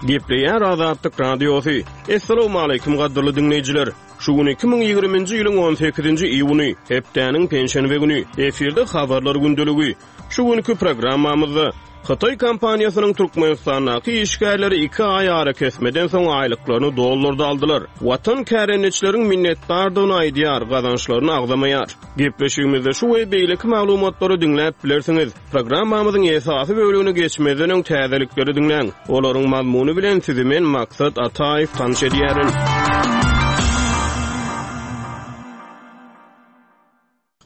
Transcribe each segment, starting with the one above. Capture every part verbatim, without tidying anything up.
Gepleýär Azatlyk Radiosy. Assalamualaikum gadyrly diňleýjiler. Şu gün iki müň ýigriminji ýylyň on sekizinji iýuny, hepdäniň penşenbe güni, efirde habarlar gündeligi. Şu günkü programmamyzda Hytaý kompaniýasynyň Türkmenistandaky işgärleri iki aý ara kesmeden soň aýlyklaryny dollarda aldylar. Watan kärendeçileriň minnetdardygyny aýdýar, gazançlaryny agzamaýar. Gepleşigimizde şu we beýleki maglumatlary diňläp bilersiňiz. Programmamyzyň esasy bölümini geçmezden öň täzelikleri diňläň. Olaryň mazmuny bilen sizi men Maksat Ataýew tanyş edýärin.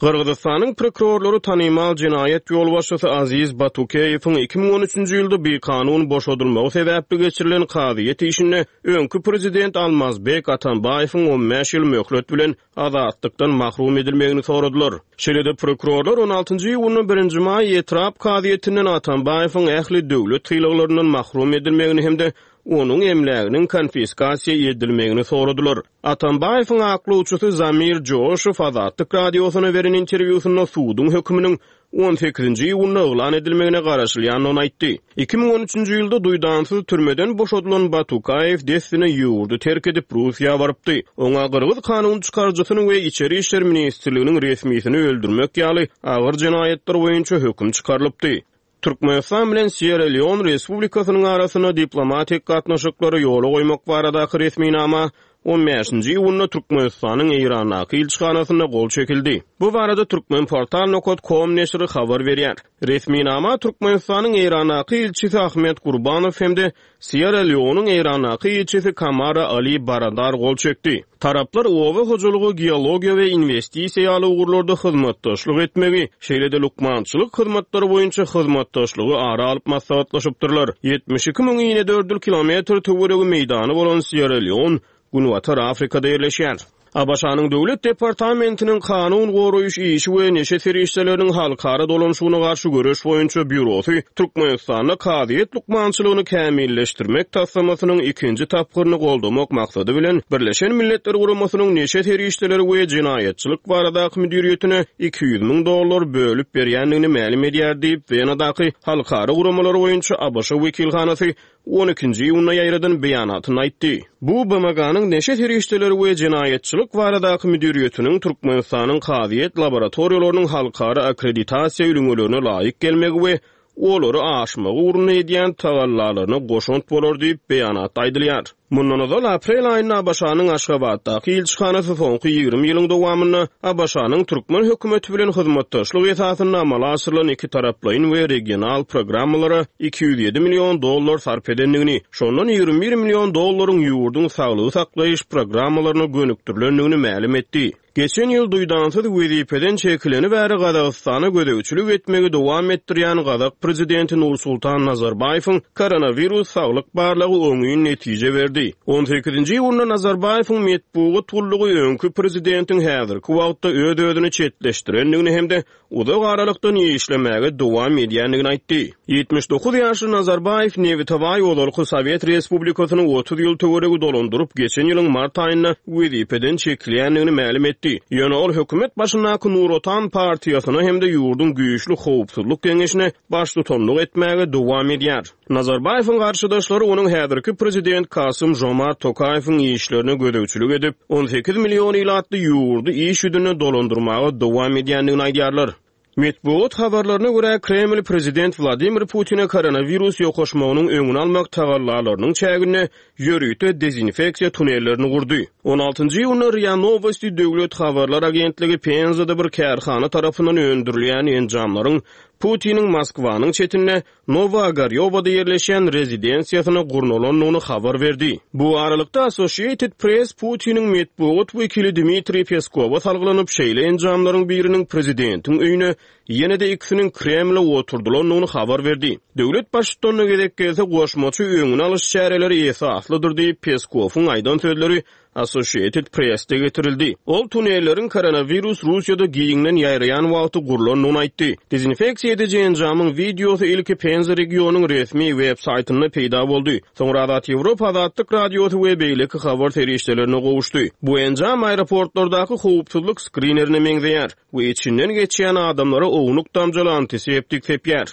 Gyrgyzystanyň prokurorlary tanymal jenaýat ýolbaşçysy Aziz Batukeýewiň iki müň on üçünji ýylda bir kanun boşadylmagy sebäpli geçirilen kazyýet işinde öňki prezident Almazbek Atambaýewiň on bäş ýyl möhlet bilen azatlykdan mahrum edilmegini soradylar. Şeýle-de prokurorlar on altynjy iýunda birinji maý etrap kazyýetinden Atambaýewiň ähli döwlet sylaglaryndan mahrum edilmegini hem-de onuň emläginiň konfiskasiýa edilmegini soradylar. Atambaýewiň aklawçysy Zamir Joşew Azatlyk radiosyna beren interwýusynda suduň höküminiň on sekizinji iýunda yglan edilmegine garaşylýandygyny aýtdy. Iki müň on üçünji ýylda duýdansyz türmeden boşadylan Batukaýew dessine ýurdy terk edip Russiýa barypdy. Oňa Gyrgyz kanun çykaryjysyny we Içeri İşler Ministrliginiň resmisini öldürmek ýaly agyr jenaýatlar boýunça höküm çykarylypdy. Türkmenistan bilen Sierra Leone Respublikasynyň arasynda diplomatik gatnaşyklary ýola goýmak baradaky resminama on bäşinji iýunda Türkmenistanyň Eýrandaky ilçihanasynda gol çekildi. Bu barada Türkmenportal nokta com neşiri habar berýär. Resminama Türkmenistanyň Eýrandaky ilçisi Ahmet Gurbanow hem-de Sierra Leone'uň Eýrandaky ilçisi Kamara Ali Baradar gol çekdi. Taraplar oba hojalygy, geologiýa we investisiýa ýaly ugurlarda hyzmatdaşlyk etmegi, şeýle-de lukmançylyk hyzmatlary boýunça hyzmatdaşlygy ara alyp maslahatlaşypdyrlar. Ýetmiş iki müň inedördül kilometr töweregi meýdany bolan Sierra Leone Günbatar Afrikada ýerleşýär. ABŞ-nyň Döwlet Departamentiniň kanun goraýyş işi we neşe serişdeleriniň halkara dolanşygyna garşy göreş boýunça býurosy Türkmenistanda kazyýet lukmançylygyny kämilleşdirmek taslamasynyň ikinji tapgyryny goldamak maksady bilen Birleşen Milletler Guramasynyň neşe serişdeleri we jenaýatçylyk baradaky müdiriýetine iki ýüz müň dollar bölüp berýändigini mälim edýär diýip, Wenadaky halkara guramalary boýunça ABŞ wekilhanasy on ikinji iýunda ýaýradan beýanatyny aýtdy. Bu B M G-nyň neşe serişdeleri we jenaýatçylyk baradaky müdiriýetiniň Türkmenistanyň kazyýet laboratoriýalarynyň halkara akkreditasiýa ülňelerine laýyk gelmegi we olary aşmagy ugrunda edýän tagallalaryna goşant bolar diýip beýanatda aýdylýar. Mundan ozal aprel aýynda ABŞ-nyň Aşgabatdaky ilçihanasy soňky ýigrimi ýylyň dowamynda ABŞ-nyň türkmen hökümeti bilen hyzmatdaşlyk esasynda amala aşyrylan iki taraplaýyn we regional programmalara iki ýüz ýedi million dollar sarp edendigini, şondan ýigrimi bir million dollaryň ýurduň saglygy saklaýyş programmalaryna gönükdirilendigini mälim etdi. Geçen ýyl duýdansyz wezipeden çekileni bäri Gazagystana gözegçilik etmegi dowam etdirýän Gazak prezidenti Nursultan Nazarbaýewiň koronawirus saglyk barlagy oňyn netije berdi. on sekizinji iýunda Nazarbaýewiň metbugat gullugy öňki prezidentiň häzirki wagtda öz-özüni çetleşdirendigini hem-de uzak aralykdan işlemäge dowam edýändigini aýtdy. Ýetmiş dokuz ýaşly Nazarbaýew Nebitabaý ozalky Sowet Respublikasyny otuz ýyl töweregi dolandyryp, geçen ýylyň mart aýynda wezipeden çekilýändigini mälim etdi. Ýöne ol hökümet başyndaky Nur Otan partiýasyna hem-de ýurduň güýçli howpsuzlyk geňeşine baştutanlyk etmäge dowam edýär. Nazarbaýewiň garşydaşlary onuň häzirki prezident Kasym Jomart Tokaýewiň işlerine gözegçilik edip, on sekiz million ilatly ýurdy iş ýüzünde dolandyrmaga dowam edýändigini aýdýarlar. Metbugat habarlaryna görä Kreml prezident Wladimir Putine koronawirus ýokaşmagynyň öňüni almak tagallalarynyň çäginde ýörite dezinfeksiýa tunellerini gurdy. on altynjy iýunda RIA Novosti döwlet habarlar agentligi Penzada bir kärhana tarapyndan öndürilýän enjamlaryň Putiniň Moskwanyň çetinde Nowa-Ogarýowada ýerleşýän rezidensiýasyna gurnalandygyny habar berdi. Bu aralykda Associated Press Putiniň metbugat wekili Dmitriý Peskowa salgylanyp, şeýle enjamlaryň biriniň prezidentiň öýüne, ýene-de ikisiniň Kremle oturdylandygyny habar berdi. Döwlet baştutanyna gezek gelse goşmaça öňüni alyş çäreleri esaslydyr diýip Peskowyň aýdan sözleri Associated Press'te getirildi. Ol tunelleriň koronawirus Russiýada giňden ýaýraýan wagty gurlandygyny aýtdy. Dezinfeksiýa ediji enjamyň wideosy ilki Penza regionyň resmi web saýtynda peýda boldy. Soňra Azat Ýewropa Azatlyk radiosy we beýleki habar serişdelerine gowuşdy. Bu enjam aeroportlardaky howpsuzlyk skrinerine meňzeýär we içinden geçýän adamlara ownuk damjaly antiseptik sepýär.